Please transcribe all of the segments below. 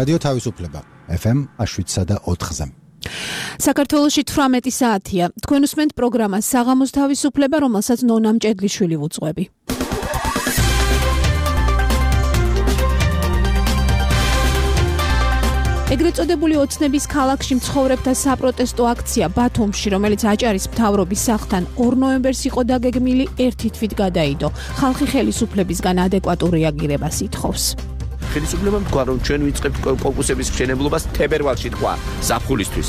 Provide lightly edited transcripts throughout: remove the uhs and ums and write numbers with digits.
რადიო თავისუფლება FM 7.4-ზე. საქართველოში 18 საათია. თქვენ უსმენთ პროგრამას საღამოს თავისუფლება, რომელსაც ნონა მჭედლიშვილი ვუძღვები. ეგრეთ წოდებული ოცნების ქალაქში მცხოვრებთა საპროტესტო აქცია ბათუმში, რომელიც აჭარის მთავრობის სახლთან 2 ნოემბერს იყო დაგეგმილი, ერთი თვით გადაიდო. ხალხი ხელისუფლებისგან ადეკვატურ რეაგირებას ითხოვს. ხელისუფლებამ თქვა, რომ ჩვენ ვიწყებთ კონკურსების მშენებლობას თებერვალში თქვა ზაფხულისთვის.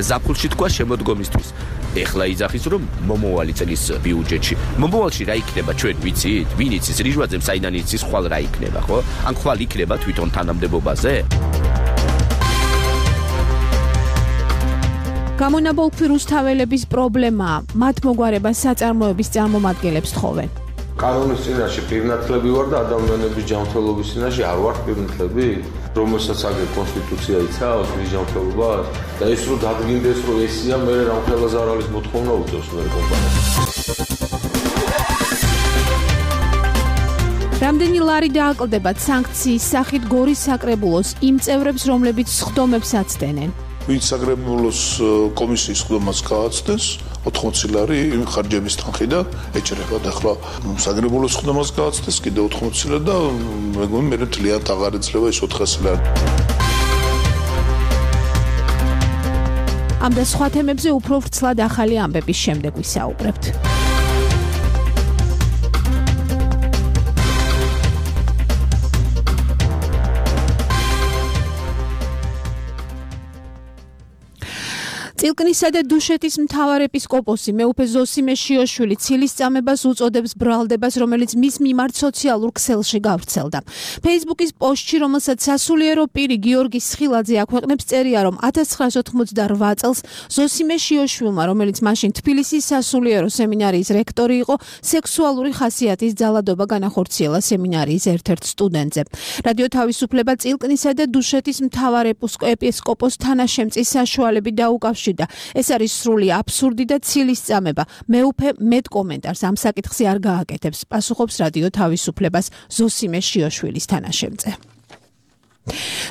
ზაფხულში თქვა შემოდგომისთვის. ეხლა იძახის, რომ მომავალი წლის ბიუჯეტში. მომავალში რა იქნება ჩვენ ვიცით? ვინ იცის რიჟვაძემ საიდან იცის ხვალ რა იქნება, ხო? ან ხვალ იქნება თვითონ თანამდებობაზე? გამონაბოლქვი რუსთაველების პრობლემაა. მათ მოგვარებას საწარმოების წარმომადგენლებს თხოვენ. კანონის წინაშე პირნათლები ვარ და ადამიანების ჯანმრთელობის წინაშე არ ვარ პირნათლები, რომელსაც აგერ კონსტიტუცია იცავს მის ჯანმრთელობას და ეს რომ დადგინდეს რომ ესია მე რამხელა ზარალის მოთხოვნა უწევს მე კომპანიას. რამდენი ლარი დააკლდებათ სანქციის სახით გორის საკრებულოს იმ წევრებს, რომლებიც სხდომებს აცდენენ? ვინც საკრებულოს კომისიის სხდომას გააცდენს 80 ლარი ხარჯების თანხიდან ეჭრება და ახლა საკრებულოს სხდომას გააცდენს კიდე 80 ლარი და მეგონი მე თლიანად აღარ ეძლევა ეს 400 ლარი. ამ და სხვა თემებზე უფრო ვრცლად ახალი ამბების შემდეგ ვისაუბრებთ. წილკნისა და დუშეთის მთავარეპისკოპოსი მეუფე ზოსიმე შიოშვილი ცილის წამებას უწოდებს ბრალდებას, რომელიც მის მიმართ სოციალურ ქსელში გავრცელდა. Facebook-ის პოსტში, რომელსაც სასულიერო პირი გიორგი სხილაძე აქვეყნებს, წერია, რომ 1988 წელს ზოსიმე შიოშვილმა, რომელიც მაშინ თბილისის სასულიერო სემინარიის რექტორი იყო, სექსუალური ხასიათის ძალადობა განახორციელა სემინარიის ერთ-ერთ სტუდენტზე. რადიო თავისუფლება წილკნისა და დუშეთის მთავარეპისკოპოს თანაშემწის საშუალებით დაუკავშირდა. ეს არის სრული აბსურდი და ცილის წამება. მეუფე მეტ კომენტარს ამ საკითხზე არ გააკეთებს, პასუხობს რადიო თავისუფლებას ზოსიმე შიოშვილის თანაშემწე.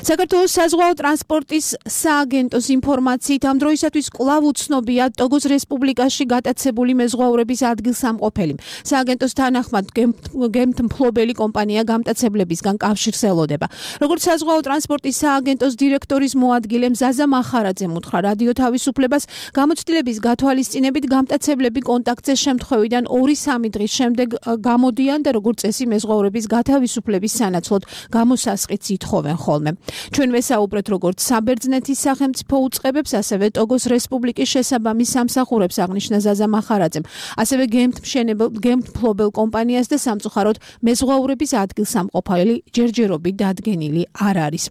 საქართველოს საზღვაო ტრანსპორტის სააგენტოს ინფორმაციით ამ დროისათვის კვლავ უცნობია ტოგოს რესპუბლიკაში გატაცებული მეზღვაურების ადგილსამყოფელი. სააგენტოს თანახმად გემთმფლობელი კომპანია გამტაცებლებისგან კავშირს ელოდება. როგორც საზღვაო ტრანსპორტის სააგენტოს დირექტორის მოადგილე მზაზა მახარაძემ უთხრა რადიო თავისუფლებას, გამოცდილების გათვალისწინებით გამტაცებლები კონტაქტზე შემთხვევიდან 2-3 დღის შემდეგ გამოდიან და როგორც წესი მეზღვაურების გათავისუფლების სანაცვლოდ გამოსასყიდს ითხოვენ ხოლმე. ჩვენ ვესაუბრეთ როგორც საბერძნეთის სახელმწიფო უწყებებს, ასევე ტოგოს რესპუბლიკის შესაბამის სამსახურებს, აღნიშნა ზაზა მახარაძემ, ასევე გემთმფლობელ კომპანიას და სამწუხაროდ მეზღვაურების ადგილსამყოფელი ჯერჯერობით დადგენილი არ არის.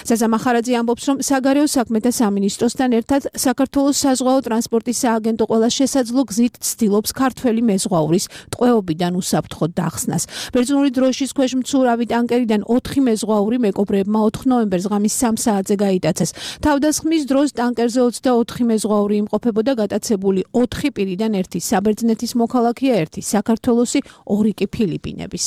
ზაზა მახარაძე ამბობს, რომ საგარეო საქმეთა სამინისტროსთან ერთად საქართველოს საზღვაო ტრანსპორტის სააგენტო ყველა შესაძლო გზით ცდილობს ქართველი მეზღვაურის ტყვეობიდან უსაფრთხოდ დახსნას. ბერძნული დროშის ქვეშ მცურავი ტანკერიდან 4 მეზღვაური მეკობრეებმა 4 ნოემბერს ღამის 3 საათზე გაიტაცეს. თავდასხმის დროს ტანკერზე 24 მეზღვაური იმყოფებოდა, გატაცებული 4 პირიდან 1 საბერძნეთის მოქალაქეა, 1 საქართველოსი, 2 კი ფილიპინების.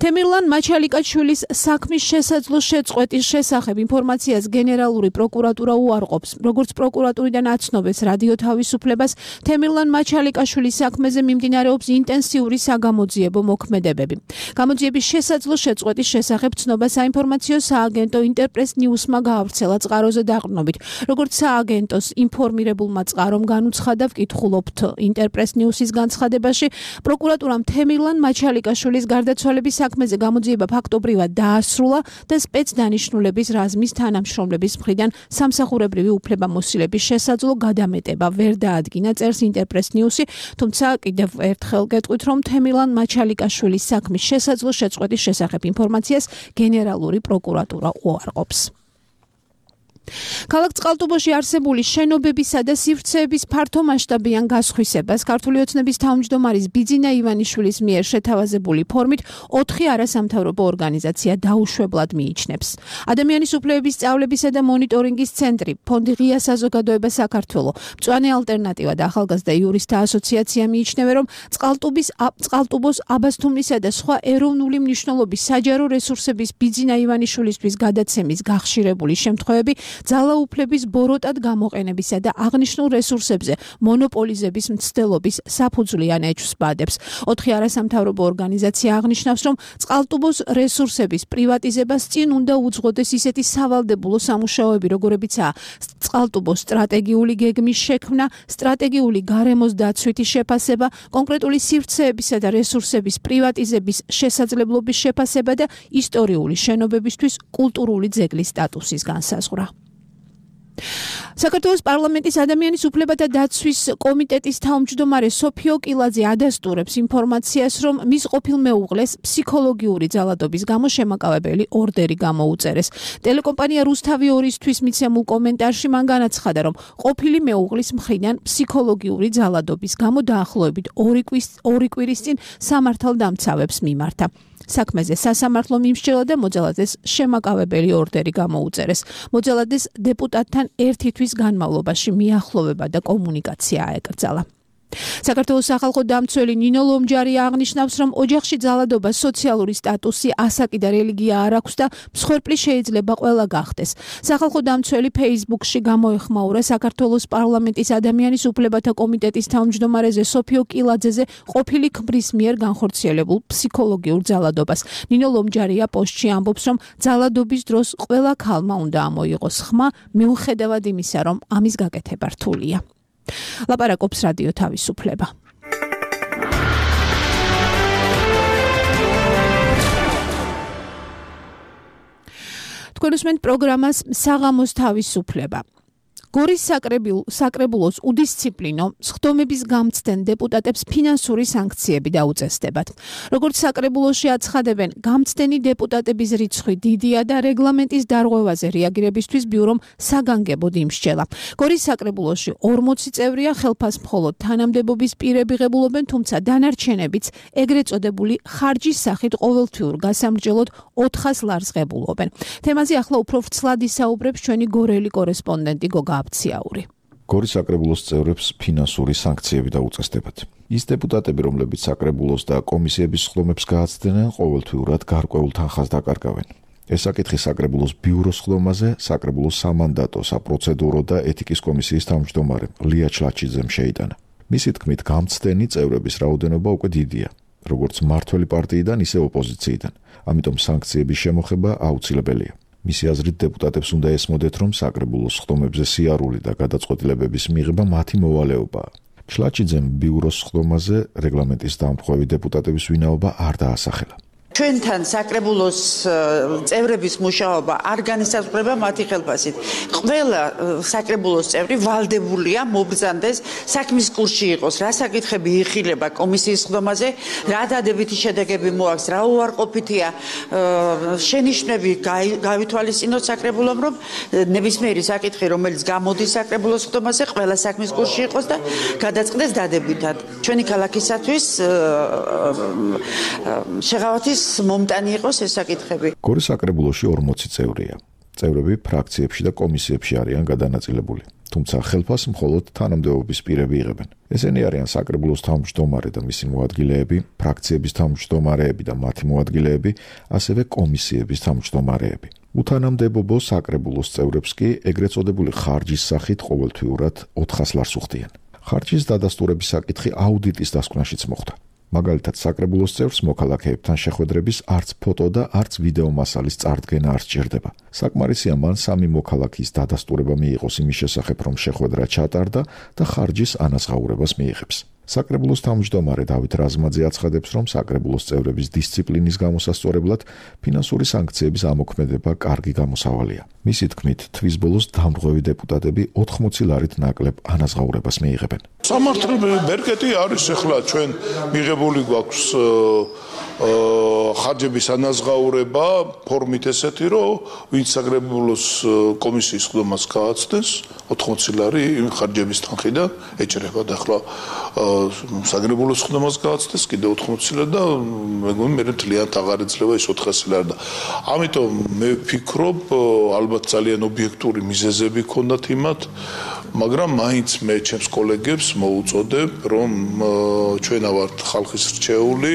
თემირლან მაჩალიკაშვილის საქმის შესაძლო შეწყვეტის შესახებ ინფორმაციას გენერალური პროკურატურა უარყოფს. როგორც პროკურატურიდან აცნობეს რადიო თავისუფლებას, თემირლან მაჩალიკაშვილის საქმეზე მიმდინარეობს ინტენსიური საგამოძიებო მოქმედებები. გამოძიების შესაძლო შეწყვეტის შესახებ ცნობა საინფორმაციო სააგენტო ინტერპრეს ნიუსმა გაავრცელა წყაროზე დაყრდნობით. როგორც სააგენტოს ინფორმირებულმა წყარომ განუცხადა, ვკითხულობთ ინტერპრეს ნიუსის განცხადებაში, პროკურატურამ თემირლან მაჩალიკაშვილის გარდაცვალების საქმეზე გამოძიება ფაქტობრივად დაასრულა და სპეცდანიშნულების რაზმის თანამშრომლების მხრიდან სამსახურებრივი უფლებამოსილების შესაძლო გადამეტება ვერ დაადგინა, წერს ინტერპრეს ნიუსი, თუმცა კიდევ ერთხელ გეტყვით, რომ თემირლან მაჩალიკაშვილის საქმის შესაძლო შეწყვეტის შესახებ ინფორმაციას გენერალური პროკურატურა უარყოფს. ქალაქ წყალტუბოში არსებული შენობებისა და სივრცეების ფართომასშტაბიან გასხვისებას ქართული ოცნების თავმჯდომარის ბიძინა ივანიშვილის მიერ შეთავაზებული ფორმით 4 არასამთავრობო ორგანიზაცია დაუშვებლად მიიჩნევს. ადამიანის უფლებების სწავლებისა და მონიტორინგის ცენტრი, ფონდი ღია საზოგადოება საქართველო, მწვანე ალტერნატივა და ახალგაზრდა იურისტთა ასოციაცია მიიჩნევენ, რომ წყალტუბოს აბასთუმნისა და სხვა ეროვნული მნიშვნელობის საჯარო რესურსების ბიძინა ივანიშვილისთვის გადაცემის გახშირებული შემთხვევები ძალაუფლების ბოროტად გამოყენებისა და აღნიშნულ რესურსებზე მონოპოლიზების მცდელობის საფუძვლიან ეჭვს ბადებს. 4 არასამთავრობო ორგანიზაცია აღნიშნავს, რომ წყალტუბოს რესურსების პრივატიზებას წინ უნდა უძღოდეს ისეთი სავალდებულო სამუშაოები, როგორებიცაა წყალტუბოს სტრატეგიული გეგმის შექმნა, სტრატეგიული გარემოს დაცვითი შეფასება, კონკრეტული სივრცეებისა და რესურსების პრივატიზების შესაძლებლობის შეფასება და ისტორიული შენობებისთვის კულტურული ძეგლის სტატუსის განსაზღვრა. საქართველოს პარლამენტის ადამიანის უფლებათა დაცვის კომიტეტის თავმჯდომარე სოფიო კილაძე ადასტურებს ინფორმაციას, რომ მის ყოფილ მეუღლეს ფსიქოლოგიური ძალადობის გამო შემაკავებელი ორდერი გამოუწერეს. ტელეკომპანია რუსთავი 2-ისთვის მიცემულ კომენტარში მან განაცხადა, რომ ყოფილი მეუღლის მხრიდან ფსიქოლოგიური ძალადობის გამო დაახლოებით 2 კვირის წინ სამართალდამცავებს მიმართა. საქმეზე სასამართლო მიმსჯელა და მოძალადეს შემაკავებელი ორდერი გამოუწერეს. მოძალადეს დეპუტატთან 1 თვის განმავლობაში მიახლოვება და კომუნიკაცია აეკრძალა. საქართველოს სახალხო დამცველი ნინო ლომჯარი აღნიშნავს, რომ ოჯახში ძალადობას სოციალური სტატუსი, ასაკი და რელიგია არ აქვს და მსხვერპლი შეიძლება ყველა გახდეს. სახალხო დამცველი Facebook-ში გამოეხმაურა საქართველოს პარლამენტის ადამიანის უფლებათა კომიტეტის თავმჯდომარეზე სოფიო კილაძეზე ყოფილი ქმრის მიერ განხორციელებულ ფსიქოლოგიურ ძალადობას. ნინო ლომჯარია პოსტში ამბობს, რომ ძალადობის დროს ყველა ქალმა უნდა ამოიღოს ხმა, მიუხედავად იმისა, რომ ამის გაკეთება რთულია. ლაპარაკობს რადიო თავისუფლება. თქვენ უსმენთ პროგრამას საღამოს თავისუფლება. გორის საკრებულოს უდისციპლინო სხდომების გამცდენ დეპუტატებს ფინანსური სანქციები დაუწესდებათ. როგორც საკრებულოში აცხადებენ, გამცდენი დეპუტატების რიცხვი დიდია და რეგლამენტის დარღვევაზე რეაგირებისთვის ბიურომ საგანგებოდ იმსჯელა. გორის საკრებულოში 40 წევრია, ხელფას მხოლოდ თანამდებობის პირები ღებულობენ, თუმცა დანარჩენებიც ეგრეთ წოდებული ხარჯის სახით ყოველთვიურ გასამრჯელოდ 400 ლარს ღებულობენ. თემაზე ახლა უფრო ვრცლად ისაუბრებს ჩვენი გორელი კორესპონდენტი გოგა აფციაური. გორის საკრებულოს წევრებს ფინანსური სანქციები დაუწესდებათ. ის დეპუტატები, რომლებიც საკრებულოს და კომისიების სხდომებს გააცდენენ, ყოველთვიურად გარკვეულ თანხას დაკარგავენ. ეს საკითხი საკრებულოს ბიუროს სხდომაზე საკრებულოს სამანდატო, საპროცედურო და ეთიკის კომისიის თავმჯდომარემ ლია ჩლაჩიძემ შეიტანა. მისი თქმით, გამცდენი წევრების რაოდენობა უკვე დიდია, როგორც მმართველი პარტიიდან, ისე ოპოზიციიდან. ამიტომ სანქციების შემოხება აუცილებელია. მისი აზრით დეპუტატებს უნდა ესმოდეთ, რომ საკრებულოს სხდომებზე სიარული და გადაწყვეტილებების მიღება მათი მოვალეობაა. ჩლაჩიძემ ბიუროს სხდომაზე რეგლამენტის დამხმევი დეპუტატების ვინაობა არ დაასახელა. ჩვენთან საკრებულოს წევრების მუშაობა არ განისაზღვრება მათი ხელფასით. ყველა საკრებულოს წევრი ვალდებულია მობრძანდეს საქმის კურსში იყოს, რა საკითხები იხილება კომისიის სხდომაზე, რა დადებითი შედეგები მოაქვს, რა უარყოფითია შენიშვნები გავითვალისწინოთ საკრებულომ, რომ ნებისმიერი საკითხი, რომელიც გამოდის საკრებულოს სხდომაზე, ყველა საქმის კურსში იყოს და გადაწყდეს დადებითად. ჩვენი ქალაქისათვის შეღავათის მომტანი იყოს ეს საკითხები. გორის საკრებულოში 40 წევრია. წევრები ფრაქციებში და კომისიებში არიან გადანაწილებული. თუმცა ხელფას მხოლოდ თანამდებობის პირები იღებენ. ესენი არიან საკრებულოს თავმჯდომარე და მისი მოადგილეები, ფრაქციების თავმჯდომარეები და მათი მოადგილეები, ასევე კომისიების თავმჯდომარეები. უთანამდებობო საკრებულოს წევრებს კი ეგრეთ წოდებული ხარჯის სახით ყოველთვიურად 400 ლარს უხდიან. ხარჯის დადასტურების საკითხი აუდიტის დასკვნაშიც მოხდა. მაგალითად, საკრებულოს წევრს მოქალაქეებთან შეხვედრების არც ფოტო და არც ვიდეო მასალის წარდგენა არ სჭირდება. საკმარისია მან 3 მოქალაქის დადასტურება მიიღოს იმის შესახებ, რომ შეხვედრა ჩატარდა და ხარჯის ანაზღაურებას მიიღებს. საკრებულოს თავმჯდომარე დავით რაზმაძე აცხადებს, რომ საკრებულოს წევრების დისციპლინის გამოსასწორებლად ფინანსური სანქციების ამოქმედება კარგი გამოსავალია. მისი თქმით, თვის ბოლოს დამრღვევი დეპუტატები 80 ლარით ნაკლებ ანაზღაურებას მიიღებენ. სამართლებრივი ბერკეტი არის ახლა ჩვენ მიღებული გვაქვს ხარჯების ანაზღაურება ფორმით ესეთი, რომ ვინც საკრებულოს კომისიის ხდომას გააცდენს 80 ლარი იმ ხარჯების თანხიდან ეჭრება და ახლა საკრებულოს ხდომას გააცდენს კიდე 80 ლარი და მეგონი მე მთლიანად აღარ ეძლევა ის 400 ლარი და ამიტომ მე ვფიქრობ ალბათ ძალიან ობიექტური მიზეზები ჰქონდათ იმათ, მაგრამ მაინც მე ჩემს კოლეგებს მოუწოდებ, რომ ჩვენ ვართ ხალხის რჩეული,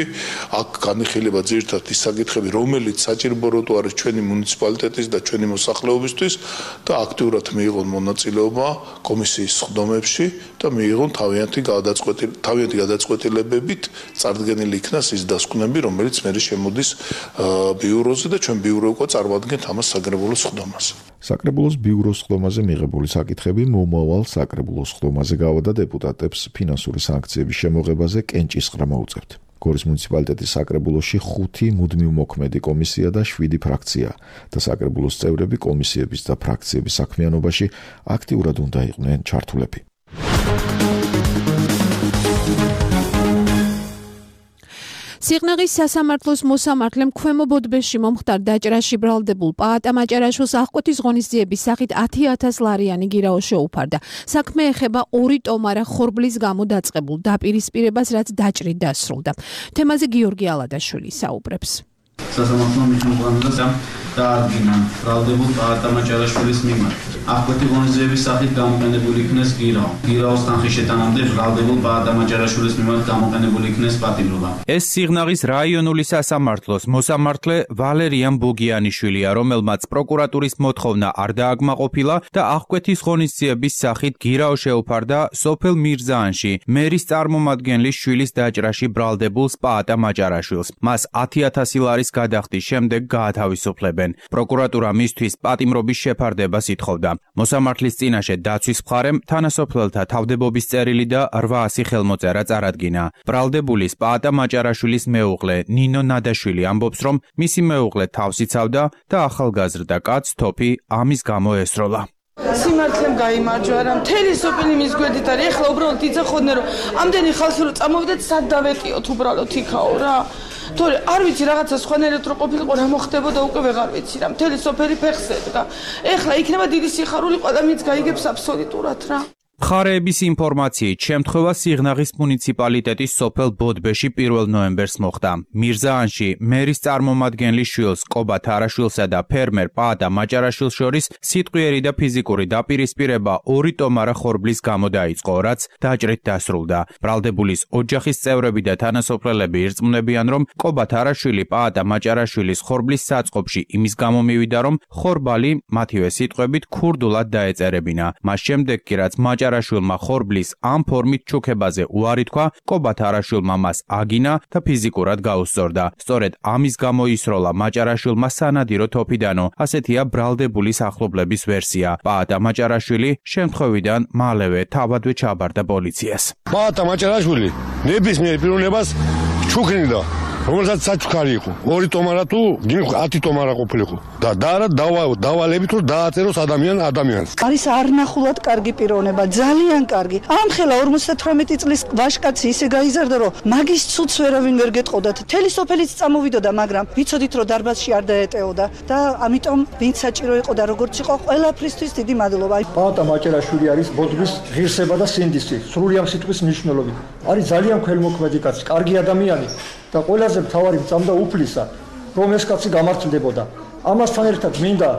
აქ განიხილება ძირითადად ის საკითხები, რომელიც საჭიროებო არის ჩვენი მუნიციპალიტეტის და ჩვენი მოსახლეობისთვის და აქტიურად მიიღონ მონაწილეობა კომისიის ხდომებში და მიიღონ თავიანთი გადაწყვეტილებებით წარდგენილი იქნას ის დასკვნები, რომელიც მე შემოდის ბიუროზე და ჩვენ ბიურო უკვე წარმოადგენთ ამას საკრებულოს ხდომას. საკრებულოს ბიუროს ხდომაზე მიღებული საკითხები მომავალ საკრებულოს ხდომაზე გავადა დეპუტატებს ფინანსური სანქციების შემოღებაზე კენჭისყრა მოუწევთ. გორის მუნიციპალიტეტის საკრებულოში 5 მუდმივ მოქმედი კომისია და 7 ფრაქცია და საკრებულოს წევრები კომისიების და ფრაქციების საქმიანობაში აქტიურად უნდა იყვნენ ჩართულები. სიღნაღის სასამართლოს მოსამართლემ ქვემო ბოდბეში მომხდარ დაჭრაში ბრალდებულ პაატა მაჭარაშვილს აღკვეთის ღონისძიების სახით 10,000 ლარიანი გირაო შეუფარდა. საქმე ეხება 2 ტომარა ხორბლის გამო დაწყებულ დაპირისპირებას, რაც დაჭრით დასრულდა. თემაზე გიორგი ალადაშვილი საუბრებს. სასამართლომ მიღებულებას დაადგინა ბრალდებულ პაატა მაჭარაშვილის მიმართ. აღკვეთი ღონისძიების სახით გამოყენებული იქნეს გირაო. გირაოს თანხის შეტანამდე ბრალდებულ პაატა მაჭარაშვილის მიმართ გამოყენებული იქნეს პატიმრობა. ეს სიღნაღის რაიონული სასამართლოს მოსამართლე ვალერიან ბოგიანიშვილია, რომელმაც პროკურატურის მოთხოვნა არ დააკმაყოფილა და აღკვეთის ღონისძიების სახით გირაო შეუფარდა სოფელ მირზაანში მერის წარმომადგენლის შვილის დაჭრაში ბრალდებულს პაატა მაჭარაშვილს. მას 10,000 ლარის გადახდის შემდეგ გაათავისუფლებენ. პროკურატურა მისთვის პატიმრობის შეფარდებას ითხოვდა. მოსამართლის წინაშე დაცვის მხარემ თანასოფლელთა თავდებობის წერილი და 800 ხელმოწერა წარადგინა. ბრალდებულის პაატა მაჭარაშვილის მეუღლე ნინო ნადაშვილი ამბობს, რომ მისი მეუღლე თავს იცავდა და ახალგაზრდა კაცს თოფი ამის გამო ესროლა. სიმართლემ გაიმარჯვა რა მთელი სოფელი მის გვერდით არის. ეხლა უბრალოდ იცოდნენ რომ ამდენი ხალხი რომ წამოვიდეთ სად დავეტიოთ უბრალოდ იქაო რა. თორე არ ვიცი რაღაცა სხვანაირად რო ყოფილიყო რა მოხდებოდა უკვე ვეღარ ვიცი რა. მთელი სოფელი ფეხს ედგა. ეხლა იქნება დიდი სიხარული ყველამიც გაიგებს აბსოლუტურად რა. მხარეების ინფორმაციით შემთხვევა სიღნაღის მუნიციპალიტეტის სოფელ ბოდბეში 1 ნოემბერს მოხდა. მირზაანში მერის წარმომადგენლის შვილს კობა თარაშვილსა და ფერმერ პაატა მაჭარაშვილს შორის სიტყვიერი და ფიზიკური დაპირისპირება 2 ტომარა ხორბლის გამო დაიწყო, რაც დაჭრით დასრულდა. ბრალდებულის ოჯახის წევრები და თანასოფლელები ირწმუნებიან, რომ კობა თარაშვილი პაატა მაჭარაშვილის ხორბლის საწყობში იმის გამო მივიდა, რომ ხორბალი მათივე სიტყვებით ქურდულად დაეწერებინა. მას შემდეგ კი რაც მაჭარაშვილმა ხორბლის ამ ფორმით ჩუქებაზე უარი თქვა, კობა თარაშვილმა მას აგინა და ფიზიკურად გაუსწორდა. სწორედ ამის გამო ისროლა მაჭარაშვილმა სანადირო თოფიდანო, ასეთია ბრალდებულის ახლობლების ვერსია. პაატა მაჭარაშვილი შემთხვევიდან მალევე თავადვე ჩაბარდა პოლიციას. პაატა მაჭარაშვილი ნებისმიერ პიროვნებას ჩუქნიდა, რომელსაც საჩუქარი იყო. 2 ტომარა თუ 10 ტომარა ყოფილიყო. და არა დავალებით რომ დააწეროს ადამიანს. არის არნახულად კარგი პიროვნება, ძალიან კარგი. ამხელა 58 წლის ვაჟკაცი ისე გაიზარდა, რომ მაგის ცუდს ვერავინ ვერ გეტყოდათ. მთელი სოფელიც წამოვიდოდა, მაგრამ ვიცოდით რომ დარბაზში არ დაეტეოდა და ამიტომ ვინც საჭირო იყო და როგორც იყო, ყველაფრისთვის დიდი მადლობა. პაატა მაჭარაშვილი არის ბოდბის ღირსება და სინდისი, სრული ამ სიტყვის მნიშვნელობით. არის ძალიან ქველმოქმედი კაცი, კარგი ადამიანი და ყველაზე მთავარი მწამდა უფლისა, რომ ეს კაცი გამართლდებოდა. ამასთან ერთად მინდა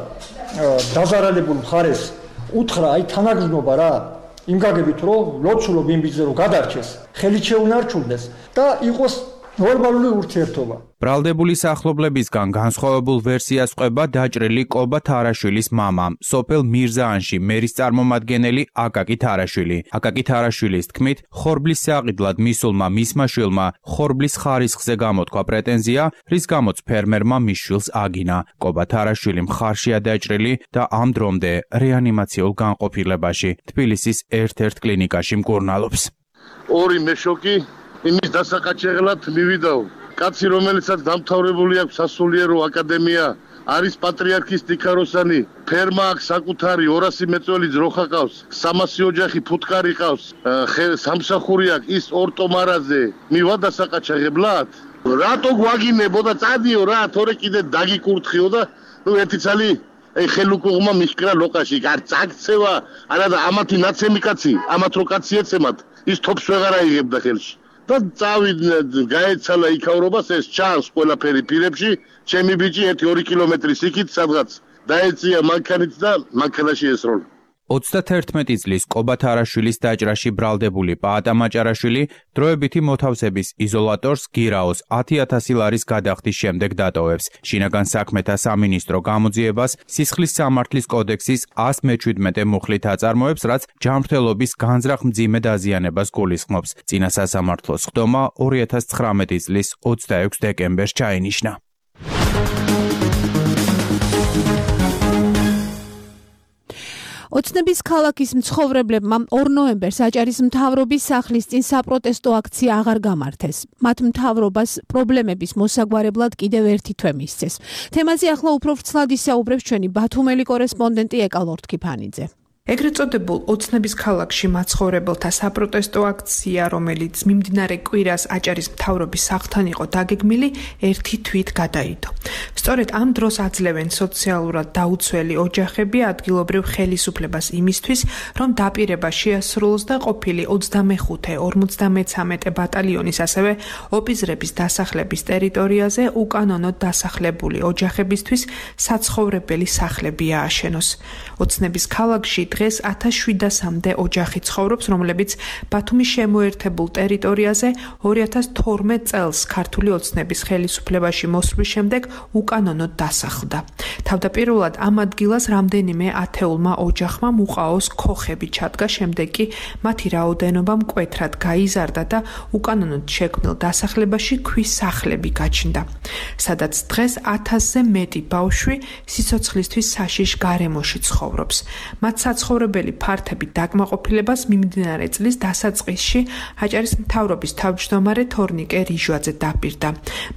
დაზარალებულ მხარეს უთხრა აი თანაგრძნობა რა, იმ გაგებით რომ ლოცულობ იმბიძე რომ გადარჩეს, ხელით შეუნარჩუნდეს და იყოს ნორმალური ურთიერთობა. ბრალდებულის ახლობლებისგან განსხვავებულ ვერსიას ყვება დაჭრილი კობა თარაშვილის მამა, სოფელ მირზაანში მერის წარმომადგენელი აკაკი თარაშვილი. აკაკი თარაშვილის თქმით, ხორბლის საყიდლად მისულმა მისმა შვილმა ხორბლის ხარისხზე გამოთქვა პრეტენზია, რის გამოც ფერმერმა მის შვილს აგინა. კობა თარაშვილი მხარშია დაჭრილი და ამ დრომდე რეანიმაციულ განყოფილებაში თბილისის ერთ-ერთ კლინიკაში მკურნალობს. ორი მეშოკი იმის დასაყაჩაღლად მივიდაო. კაცი, რომელიცაც დამთავრებული აქვს სასულიერო აკადემია, არის პატრიარქის ტიქაროსანი, ფერმა აქვს საკუთარი 200 მეწველი ძროხა ყავს, 300 ოჯახი ფუტკარი ყავს, სამსახური აქვს ის ორტომარაზე. მივა დასაყაჩაღებლად? რატო გვაგინებო და წადიო რა, თორე კიდე დაგიკურთხიო და ერთი წალი ხელუკუღმა მიშკრა ლოყაში, არ წაგცევა, არა და ამათი ნაცემი კაცი, ამათ რო კაცი ეცემათ, ის თოფს ვეღარ აიღებდა ხელში. და წავიდნენ, გაეცალა იქაურობას, ეს ჩანს ყველაფერი პირებში, ჩემი ბიჭი 1-2 კილომეტრის იქით სადღაც დაეწია მანქანით და მანქანაში ესროლა. 31 წლის ყობა თარაშვილის დაჭრაში ბრალდებული პაატა მაჭარაშვილი დროებითი მოთავსების იზოლატორს გირაოს 10,000 ლარის გადახდის შემდეგ დატოვებს. შინაგან საქმეთა სამინისტრო გამოძიებას სისხლის სამართლის კოდექსის 117 მუხლით აწარმოებს, რაც ჯანმრთელობის განზრახ მძიმე დაზიანებას გულისხმობს. წინა სასამართლოს ხდომა 2019 წლის 26 დეკემბერს ჩაინიშნა. ოცნების ქალაქის მცხოვრებლებმა 2 ნოემბერს აჭარის მთავრობის სახლის წინ საპროტესტო აქცია აღარ გამართეს. მათ მთავრობას პრობლემების მოსაგვარებლად კიდევ ერთი თვე მისცეს. თემაზე ახლა უფრო ვრცლად ისაუბრებს ჩვენი ბათუმელი კორესპონდენტი ეკალორთ ქიფანიძე. ეგრეთ წოდებულ ოცნების ქალაქში მაცხოვრებელთა საპროტესტო აქცია, რომელიც მიმდინარე კვირას აჭარის მთავრობის სახლთან იყო დაგეგმილი, ერთი თვით გადაიდო. სწორედ ამ დროს აძლევენ სოციალურად დაუცველი ოჯახები ადგილობრივ ხელისუფლებას იმისთვის, რომ დაპირება შეასრულოს და ყოფილი 25-53 ბატალიონის ასევე ოპიზრების დასახლების ტერიტორიაზე უკანონოდ დასახლებული ოჯახებისთვის საცხოვრებელი სახლები ააშენოს. ოცნების ქალაქში დღეს 1700-მდე ოჯახი ცხოვრობს, რომლებიც ბათუმის შემოერთებულ ტერიტორიაზე 2012 წელს ქართული ოცნების ხელისუფლებაში მოსვლის შემდეგ უკანონოდ დასახლდა. თავდაპირველად ამ ადგილას რამდენიმე ათეულმა ოჯახმა მუყაოს ქოხები ჩადგა, შემდეგ კი მათი რაოდენობა მკვეთრად გაიზარდა და უკანონოდ შექმნილ დასახლებაში ქვის სახლები გაჩნდა. სადაც დღეს 1000-ზე მეტი ბავშვი სიცოცხლისთვის საშიშ გარემოში ცხოვრობს. მათ საცხოვრებელი ფართები დაკმაყოფილებას მიმდინარე წლის დასაწყისში აჭარის მთავრობის თავმჯდომარე თორნიკე რიჟვაძე დაპირდა.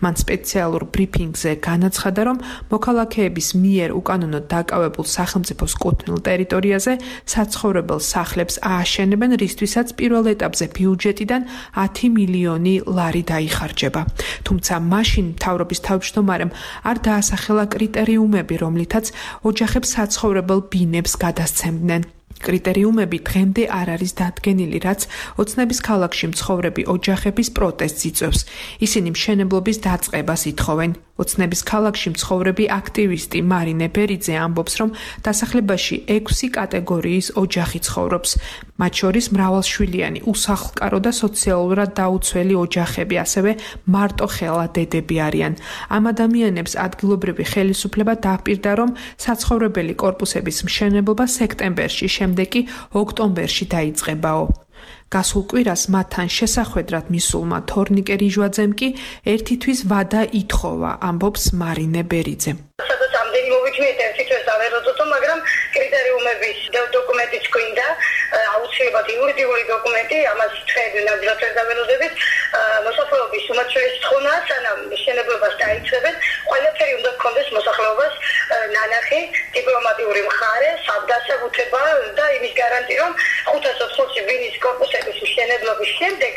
მან სპეციალურ ბრიფინგზე განაცხადა, რომ მოქალაქეების მიერ უკანონოდ დაკავებულ სახელმწიფოს კუთვნილ ტერიტორიაზე საცხოვრებელ სახლებს ააშენებენ, რისთვისაც პირველ ეტაპზე ბიუჯეტიდან 10 მილიონი ლარი დაიხარჯება. თუმცა მაშინ მთავრობის თავმჯდომარემ არ დაასახელა კრიტერიუმები, რომლითაც ოჯახებს საცხოვრებელ ბინებს გადასცემდნენ. კრიტერიუმები დღემდე არ არის დადგენილი, რაც ოცნების ქალაქში მცხოვრები ოჯახების პროტესტს იწვევს. ისინი მშენებლობის დაწყებას ითხოვენ. ოცნების ქალაქში მცხოვრები აქტივისტი მარინე ბერიძე ამბობს, რომ დასახლებაში 6 კატეგორიის ოჯახი ცხოვრობს. მათ შორის მრავალშვილიანი, უსახლკარო და სოციალურად დაუცველი ოჯახები, ასევე მარტოხელა დედები არიან. ამ ადამიანებს ადგილობრივი ხელისუფლება დაპირდა, რომ საცხოვრებელი კორპუსების მშენებლობა სექტემბერში, შემდეგ კი ოქტომბერში დაიწყებაო. გასულ კვირას მათთან შესახვედრად მისულმა თორნიკე რიჟვაძემ კი ერთი თვის ვადა ითხოვა, ამბობს მარინე ბერიძე. სადაც ამდენი მოვიჩვიეთ ერთი თვის დავეროწოთო, მაგრამ კრიტერიუმების დოკუმენტიც გვინდა, აუცილებლად იურიდიული დოკუმენტი, ამას ჩვენ ნამდვილად ვერ დავეროძებით. მოსახლეობის უმნიშვნელოვანესი თხოვნაა, სანამ მშენებლობას დაიწყებენ, ყველაფერი უნდა გქონდეს მოსახლეობას ნანახი, დიპლომატიური მხარე, საბდასაბუთება და იმის გარანტი, რომ 580 ბინის კორპუსების მშენებლობის შემდეგ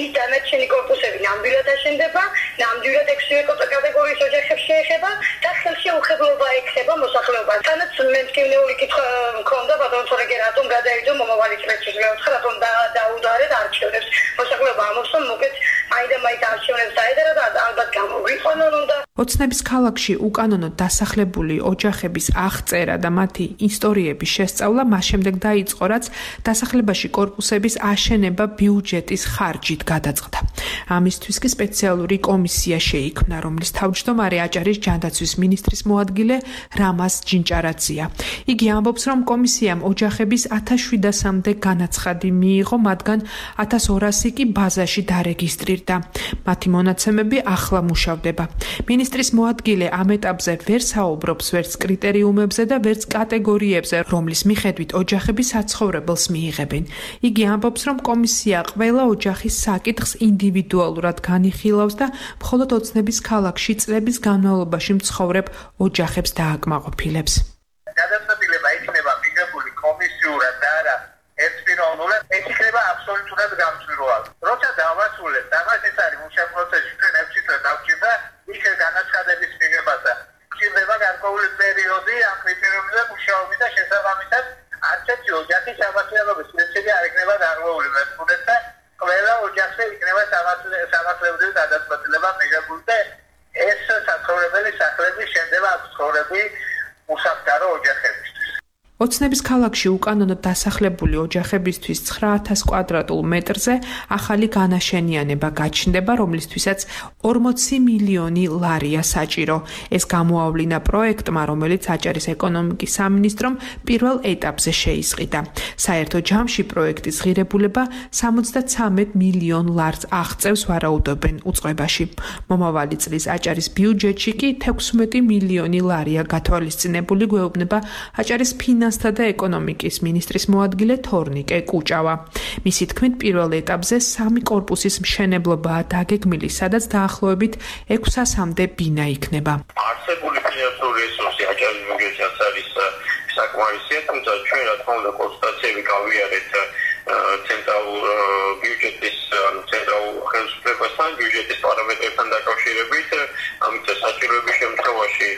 ის დანარჩენი კორპუსები ნამდვილად აშენდება, ნამდვილად 6 კატეგორიის ოჯახებს შეეხება და ხელშეუხებლობა ექნება მოსახლეობას. თანაც მე მტკივნეული კითხვა მქონდა, ბატონო თორეგე რატომ გადაიდო მომავალი წლებში, მეოთხე რატომ დაუდარეთ არჩევნებს. მოსახლეობა ამბობს, რომ მოკეთ აიდამაით არჩევნებს დაედარა და ალბათ გამოგვიყვანონ უნდა. ოცნების ქალაქში უკანონოდ დასახლებული ოჯახების აღწერა და მათი ისტორიების შესწავლა მას შემდეგ დაიწყო, რაც დასახლებაში კორპუსების აშენება ბიუჯეტის ხარჯით გადაწყდა. ამისთვის კი სპეციალური კომისია შეიქმნა, რომლის თავმჯდომარე აჭარის ჯანდაცვის მინისტრის მოადგილე რამაზ ჯინჭარაძეა. იგი ამბობს, რომ კომისიამ ოჯახების 1700-მდე განაცხადი მიიღო, მათგან 1200 კი ბაზაში დარეგისტრირდა. მათი მონაცემები ახლა მუშავდება. მინისტრის მოადგილე ამ ეტაპზე ვერ საუბრობს ვერც კრიტერიუმებზე და ვერც კატეგორიებზე, რომლის მიხედვით ოჯახები საცხოვრებელს მიიღებენ. იგი ამბობს, რომ კომისია ყველა ოჯახის საკითხს ინდივიდუალურად განიხილავს და მხოლოდ ოცნების ქალაქში წლების განმავლობაში მცხოვრებ ოჯახებს დააკმაყოფილებს. გადაწყვეტილება იქნება მიღებული კომისიურად და არა ერთპიროვნულად, ეს იქნება აბსოლუტურად გამჭვირვალე. როცა დავასრულებთ, ამას ეს არის მუშაობის პროცესი, ჩვენ ევჩიტვით დავჭირდა იქ განაცხადების მიღებასა. ჭირდება გარკვეული პერიოდი ამ კრიტერიუმებზე მუშაობის და შესაბამისად არც ერთი ოჯახის სამართლებრივი პრინციპი არ იქნება დარღვეული მეთქუდეთ და ყველა ოჯახზე იქნება სამართლებრივი გადაწყვეტილება მიღებული და ეს საცხოვრებელი სახლები შენდება ცხოვრები უსაფრთხო ოჯახებისთვის. ოცნების ქალაქში უკანონოდ დასახლებული ოჯახებისთვის 9000 კვადრატულ მეტრზე ახალი განაშენიანება გაჩნდება, რომლისთვისაც 40 მილიონი ლარია საჭირო. ეს გამოავლინა პროექტმა, რომელიც აჭარის ეკონომიკის სამინისტრომ პირველ ეტაპზე შეისყიდა. საერთო ჯამში პროექტის ღირებულება 73 მილიონ ლარს აღწევს ვარაუდობენ უწყებაში. მომავალი წლის აჭარის ბიუჯეტში კი 16 მილიონი ლარია გათვალისწინებული გვეუბნება აჭარის ფინანსთა და ეკონომიკის მინისტრის მოადგილე თორნიკე კუჭავა. მისი თქმით, პირველ ეტაპზე 3 კორპუსის მშენებლობაა დაგეგმილი, სადაც დაახლოებით 600-მდე ბინა იქნება. არსებული ფინანსური რესურსი აჭარის ბიუჯეტშიც არის საკმარისია, თუმცა ჩვენ რა თქმა უნდა კონსტატაციები გავიარეთ ცენტრალურ ბიუჯეტის, ცენტრალურ ხელისუფლებასთან, ბიუჯეტის პარამეტრებთან დაკავშირებით, ამიტომ საჭიროების შემთხვევაში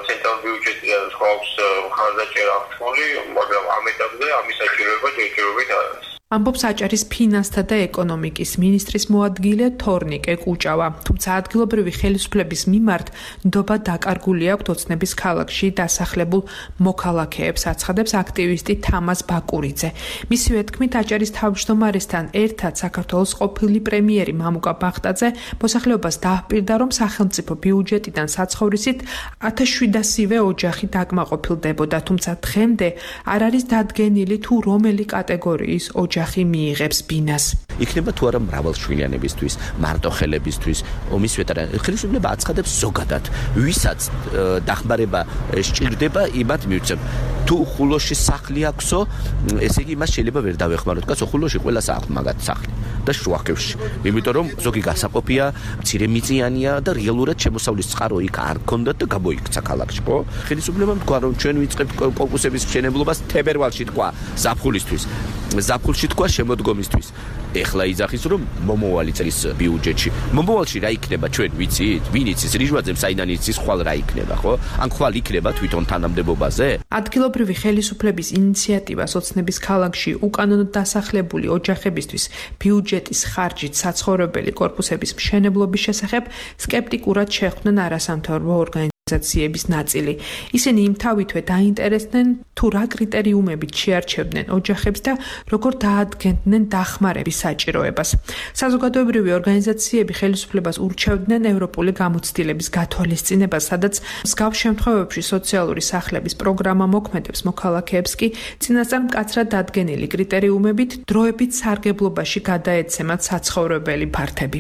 ცენტრალურ ბიუჯეტიდან გვაქვს ხარდაჭერა რთული, მაგრამ ამ ეტაპზე ამის საჭიროება ჯერჯერობით არ არის. ამბობს აჭარის ფინანსთა და ეკონომიკის მინისტრის მოადგილე თორნიკე კუჭავა. თუმცა ადგილობრივი ხელისუფლების მიმართ ნდობა დაკარგული აქვს ოცნების ქალაქში დასახლებულ მოქალაქეებს, აცხადებს აქტივისტი თამაზ ბაკურიძე. მისივე თქმით, აჭარის თავმჯდომარესთან ერთად საქართველოს ყოფილი პრემიერი მამუკა ბახტაძე მოსახლეობას დააჰპირდა, რომ სახელმწიფო ბიუჯეტიდან საცხოვრისით 1700-ვე ოჯახი დაკმაყოფილდებოდა, თუმცა დღემდე არ არის დადგენილი თუ რომელი კატეგორიის ოჯახი მიიღებს ბინას. იქნება თუ არა მრავალშვილიანებისთვის, მარტოხელებისთვის, ომის ვეტერანი. ხელისუფლება აცხადებს ზოგადად, ვისაც დახმარება სჭირდება, იმათ მივცემ. თუ ხულოში სახლი აქვსო, ესე იგი მას შეიძლება ვერ დავეხმაროთ. კაცო, ხულოში ყველას აქვს მაგათ სახლი და შუახევში. იმიტომ რომ ზოგი გასაყოფია, მცირემიწიანია და რეალურად შემოსავლის წყარო იქ არ გქონდათ და გამოიქცა ქალაქში, ხო? ხელისუფლებამ თქვა, რომ ჩვენ ვიწყებთ კორპუსების მშენებლობას თებერვალში თქვა ზაფხულისთვის. ზაფხულში თქვა შემოდგომისთვის. ეხლა იძახის რომ მომავალი წლის ბიუჯეტში. მომავალში რა იქნება ჩვენ ვიცით? ვინ იცის რიჟვაძემ საიდან იცის ხვალ რა იქნება, ხო? ან ხვალ იქნება თვითონ თანამდებობაზე? ადგილობრივი ხელისუფლების ინიციატივას ოცნების ქალაქში უკანონოდ დასახლებული ოჯახებისთვის ბიუჯეტის ხარჯით საცხოვრებელი კორპუსების მშენებლობის შესახებ სკეპტიკურად შეხვდნენ არასამთავრობო ორგანიზაციების ნაწილი. ისინი იმთავითვე დაინტერესდნენ თუ რა კრიტერიუმებით შეარჩევდნენ ოჯახებს და როგორ დაადგენდნენ დახმარების საჭიროებას. საზოგადოებრივი ორგანიზაციები ხელისუფლებას ურჩევდნენ ევროპული გამოცდილების გათვალისწინებას, სადაც მსგავს შემთხვევებში სოციალური სახლების პროგრამა მოქმედებს, მოქალაქეებს კი წინასწარ მკაცრად დადგენილი კრიტერიუმებით დროებით სარგებლობაში გადაეცემათ საცხოვრებელი ფართები.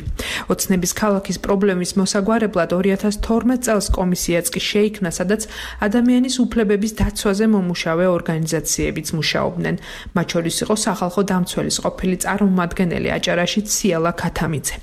ოცნების ქალაქის პრობლემის მოსაგვარებლად 2012 წელს კომისიაც კი შეიქმნა, სადაც ადამიანის უფლებების დაცვაზე მომუშავე ორგანიზაციებიც მუშაობდნენ. მათ შორის იყო სახალხო დამცველის ყოფილი წარმომადგენელი აჭარაში ციალა ქათამიძე.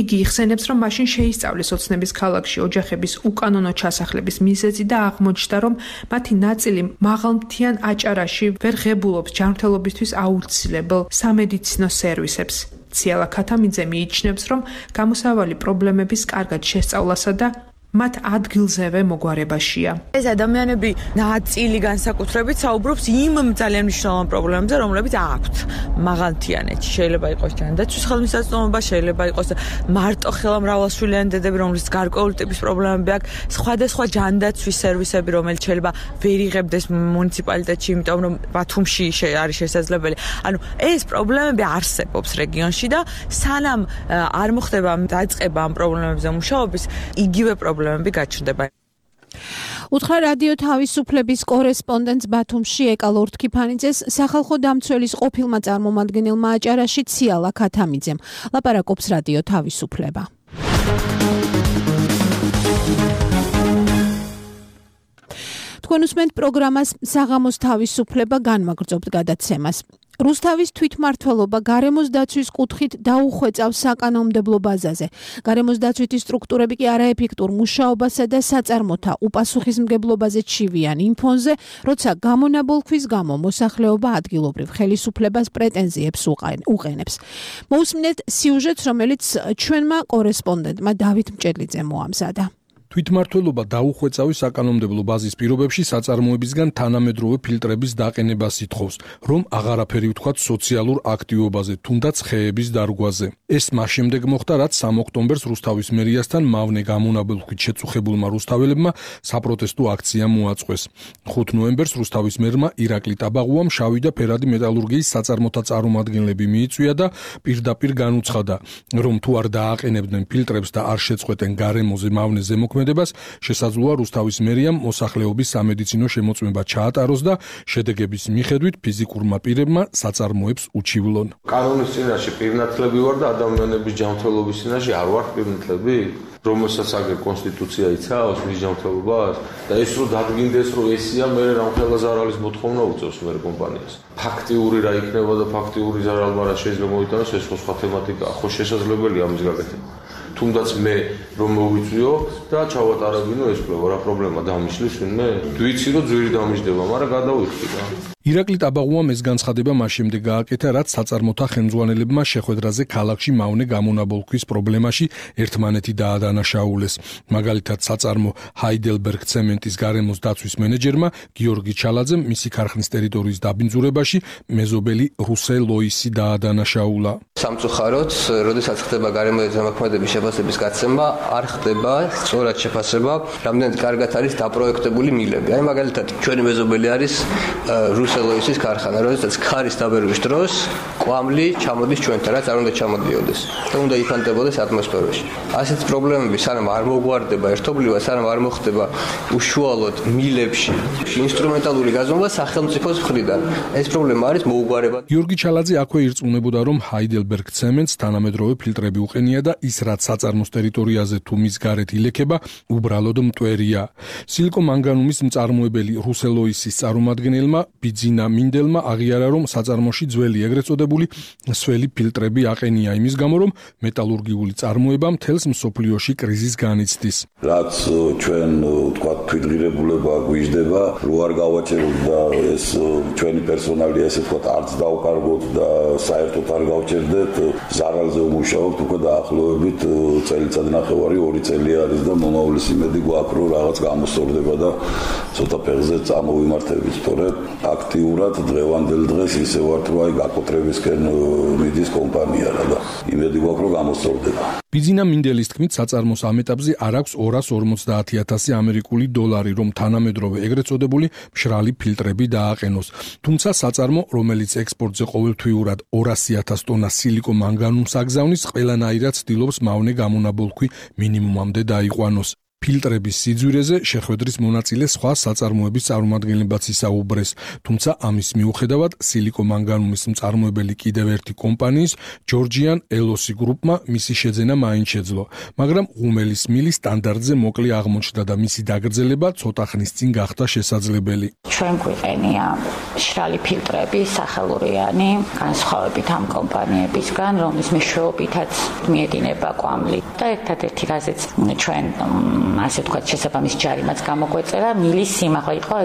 იგი იხსენებს, რომ მაშინ შეისწავლეს ოცნების ქალაქში ოჯახების უკანონო ჩასახლების მიზეზი და აღმოჩნდა, რომ მათი ნაწილი მაღალმთიან აჭარაში ვერ ღებულობს ჯანმრთელობისთვის აუცილებელ სამედიცინო სერვისებს. ციალა ქათამიძე მიიჩნევს, რომ გამოსავალი პრობლემების კარგად შესწავლასა და მათ ადგილზევე მოგვარებაშია. ეს ადამიანები ნაწილი განსაკუთრებით საუბრობს იმ ძალიან მნიშვნელოვან პრობლემებზე, რომლებიც აქვთ მაღალმთიანეთში. შეიძლება იყოს ჯანდაცვის ხელმისაწვდომობა, შეიძლება იყოს მარტო ხელა მრავალშვილიანი დედები, რომლის გარკვეული ტიპის პრობლემები აქვს, სხვადასხვა ჯანდაცვის სერვისები, რომელიც შეიძლება ვერ იღებდეს მუნიციპალიტეტში, იმიტომ რომ ბათუმში არის შესაძლებელი. ანუ ეს პრობლემები არსებობს რეგიონში და სანამ არ მოხდება დაწყება ამ პრობლემებზე მუშაობის, იგივე პრობლემები გაჩნდება. უთხრა რადიო თავისუფლების კორესპონდენტს ბათუმში ეკა ლორთქიფანიძეს სახალხო დამცველის ყოფილმა წარმომადგენელმა აჭარაში ციალა ქათამიძემ. ლაპარაკობს რადიო თავისუფლება. თქვენ უსმენთ პროგრამას საღამოს თავისუფლება განმაგრძობთ გადაცემას. რუსთავის თვითმმართველობა გარემოს დაცვის კუთხით დაუხვეწავს საკანონმდებლო ბაზაზე. გარემოს დაცვითი სტრუქტურები კი არაეფექტურ მუშაობასა და საწარმოთა უპასუხისმგებლობაზე ჩივიან იმ ფონზე, როცა გამონაბოლქვის გამო მოსახლეობა ადგილობრივ ხელისუფლებას პრეტენზიებს უყენებს. მოусმინეთ სიუჟეტს, რომელიც ჩვენმა კორესპონდენტმა დავით მჭედლიძემ მოამზადა. თვითმმართველობა დაუხვეწავი საკანონმდებლო ბაზის პირობებში საწარმოებისგან თანამედროვე ფილტრების დაყენებას ითხოვს, რომ აღარაფერი ვთქვათ სოციალურ აქტივობაზე, თუნდაც ხეების დარგვაზე. ეს მას შემდეგ მოხდა, რაც 3 ოქტომბერს რუსთავის მერიასთან მავნე გამონაბოლქვით შეწუხებულმა რუსთაველებმა საპროტესტო აქცია მოაწყვეს. 5 ნოემბერს რუსთავის მერმა ირაკლი ტაბაღუამ შავი და ფერადი მეტალურგიის საწარმოთა წარმომადგენლები მიიწვია და პირდაპირ განუცხადა, რომ თუ არ დააყენებდნენ ფილტრებს და არ შეწყვეტენ გარემოზე მავნე ზემოქმედებას, შესაძლოა რუსთავის მერიამ მოსახლეობის სამედიცინო შემოწმება ჩაატაროს და შედეგების მიხედვით ფიზიკურმა პირებმა საწარმოებს უჩივლონ. კანონის წინაშე პირნათლები ვარ და ადამიანების ჯანმრთელობის წინაშე არ ვარ პირნათლები, რომელსაც აგერ კონსტიტუცია იცავს მის ჯანმრთელობას და ეს რო დადგინდეს, რომ ესია, მე რამხელა ზარალის მოთხოვნა უწევს მე კომპანიას. ფაქტიური რა იქნება და ფაქტიური ზარალმა რა შეიძლება მოიტანოს, ეს სხვა თემატიკაა, ხო შესაძლებელია ამის გაკეთება. თუნდაც მე რომ მოვიწვიო და ჩავატარებინო ეს კვლევა, რა პრობლემა დამიშლის ვინმე? ვიცი რომ ძვირი დამიშდება, მაგრამ გადავიხდი რა. ირაკლი ტაბაღუამ ეს განცხადება მას შემდეგ გააკეთა, რაც საწარმოთა ხელმძღვანელებმა შეხვედრაზე ქალაქში მავნე გამონაბოლქვის პრობლემაში ერთმანეთი დაადანაშაულეს. მაგალითად, საწარმო ჰაიდელბერგ ცემენტის გარემოს დაცვის მენეჯერმა გიორგი ჩალაძემ მისი ქარხნის ტერიტორიის დაბინძურებაში მეზობელი რუსე ლოისი დაადანაშაულა. სამწუხაროდ, როდესაც ხდება გარემოების ზემოქმედების შეფასების გაცემა, არ ხდება სწორად შეფასება, რამდენად კარგად არის დაპროექტებული მილები. აი მაგალითად, ჩვენი მეზობელი არის რუსელოისის ქარხანა, როდესაც ქარის დაბერვის დროს კვამლი ჩამოდის ჩვენთან, რაც არ უნდა ჩამოდიოდეს და უნდა იფანტებოდეს ატმოსფეროში. ასეთი პრობლემები სანამ არ მოგვარდება ერთობლივად, სანამ არ მოხდება უშუალოდ მილებში ინსტრუმენტალური გაზომვა სახელმწიფოს მხრიდან. ეს პრობლემა არის მოუგვარება. გიორგი ჩალაძე აქვე ირწმუნებოდა, რომ ჰაიდელბერგ ცემენტს თანამედროვე ფილტრები უყენია და ის რაც საწარმოს ტერიტორიაზე თუ მის გარეთ ილექება, უბრალოდ მტვერია. სილიკომანგანუმის მწარმოებელი რუსელოისის წარმომადგენელმა ბიძინა მინდელმა აღიარა, რომ საწარმოში ძველი ეგრეთ წოდებული სველი ფილტრები აყენია იმის გამო, რომ მეტალურგიული წარმოება მთელს მსოფლიოში კრიზისს განიცდის. რაც ჩვენ ვთქვათ თვითღირებულება გვიждდება, რო არ გავაჩეროთ და ეს ჩვენი პერსონალი ესე ვთქვათ არც დავკარგოთ და საერთოდ არ გავჩერდეთ, ზარალზე ვმუშაობთ უკვე დაახლოებით წელიწად ნახევარი 2 წელი არის და მომავლის იმედი გვაქვს, რომ რაღაც გამოსწორდება და ცოტა ფეხზე წამოვიმართებით, თორემ აქტიურად დღევანდელ დღეს ისე ვართ, რომ აი გაკოტრებისკენ მიდის კომპანია რა და იმედი გვაქვს, რომ გამოსწორდება. ბიძინა მინდელის თქმით, საწარმოს ამ ეტაპზე არ აქვს 250,000 ამერიკული დოლარი, რომ თანამედროვე ეგრეთ წოდებული მშრალი ფილტრები დააყენოს. თუმცა საწარმო, რომელიც ექსპორტზე ყოველთვიურად 200,000 ტონა სილიკომანგანუმს აგზავნის, ყველანაირად ცდილობს მავნე გამონაბოლქვი მინიმუმამდე დაიყვანოს. ფილტრების სიძვირეზე შეხვედრის მონაწილე სხვა საწარმოების წარმომადგენლებაც ისაუბრეს, თუმცა ამის მიუხედავად სილიკომანგანუმის მწარმოებელი კიდევ ერთი კომპანიის ჯორჯიან ელოსი გრუპმა მისი შეძენა მაინც შეძლო, მაგრამ ღუმელის მილი სტანდარტზე მოკლე აღმოჩნდა და მისი დაგრძელება ცოტა ხნის წინ გახდა შესაძლებელი. ჩვენ გვიყენია მშრალი ფილტრები სახელურიანი, განსხვავებით ამ კომპანიებისგან, რომლის მეშვეობითაც მიედინება კვამლი და ერთადერთი რაზეც ჩვენ ასე ვთქვათ, შესაბამის ჯარიმაც გამოგვეწერა, მილის სიმაღლე იყო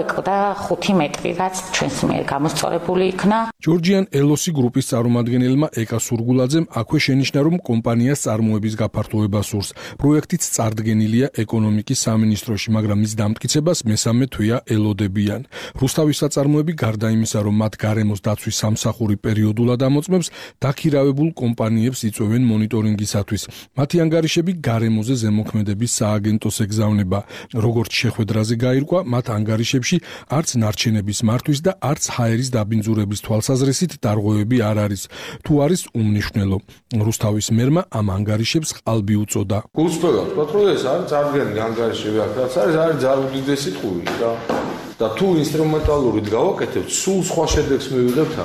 5 მეტრი, რაც ჩვენს მიერ გამოსწორებული იქნა. ჯორჯიან ელოსი გრუპის წარმომადგენელმა ეკა სურგულაძემ აქვე შენიშნა, რომ კომპანიას წარმოების გაფართოება სურს. პროექტიც წარდგენილია ეკონომიკის სამინისტროში, მაგრამ მის დამტკიცებას მესამე თვეა ელოდებიან. რუსთავის საწარმოები გარდა იმისა, რომ მათ გარემოს დაცვის სამსახური პერიოდულად ამოწმებს, დაქირავებულ კომპანიებს იწვევენ მონიტორინგისათვის. მათი ანგარიშები გარემოზე ზემოქმედების სააგენტოს ეგზავნება. როგორც შეხვედრაზე გაირკვა, მათ ანგარიშებში არც ნარჩენების მართვის და არც ჰაერის დაბინძურების თვალსაზრისით დარღვევები არ არის. თუ არის უმნიშვნელო. რუსთავის მერმა ამ ანგარიშებს ყალბი უწოდა. გულწრფელად ვთქვათ, რომ ეს არის წარდგენილი ანგარიშები აქ, რაც არის ძალიან უდიდესი ტყუილი და თუ ინსტრუმენტალურით გავაკეთებთ, სულ სხვა შედეგს მივიღებთ.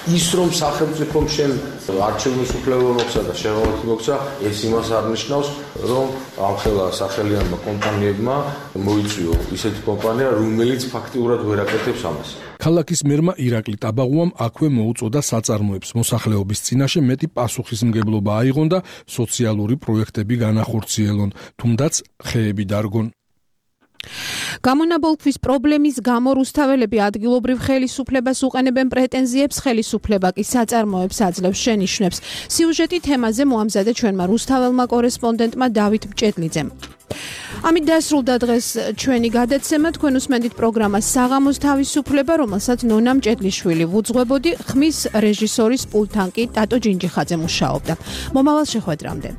ის რომ სახელმწიფომ შენ არჩევნების უფლება მოხსა და შეღავათი მოხსა, ეს იმას არ ნიშნავს, რომ ამხელა სახელიანმა კომპანიებმა მოიწვიო ისეთი კომპანია, რომელიც ფაქტიურად ვერ აკეთებს ამას. ქალაქის მერმა ირაკლი ტაბაღუამ აქვე მოუწოდა საწარმოებს. მოსახლეობის წინაშე მეტი პასუხისმგებლობა აიღონ და სოციალური პროექტები განახორციელონ, თუნდაც ხეები დარგონ. გამონაბოლქვის პრობლემის გამო რუსთაველები ადგილობრივ ხელისუფლებას უყენებენ პრეტენზიებს, ხელისუფლება კი საწარმოებს აძლევს შენიშვნებს. სიუჟეტი თემაზე მოამზადა ჩვენმა რუსთაველმა კორესპონდენტმა დავით მჭედლიძემ. ამით დასრულდა დღეს ჩვენი გადაცემა. თქვენ უსმენთ პროგრამას საღამოს თავისუფლება, რომელსაც ნონა მჭედლიშვილი ვუძღვებოდი, ხმის რეჟისორის პულტთან კი ტატო ჯინჯიხაძე მუშაობდა. მომავალ შეხვედრამდე.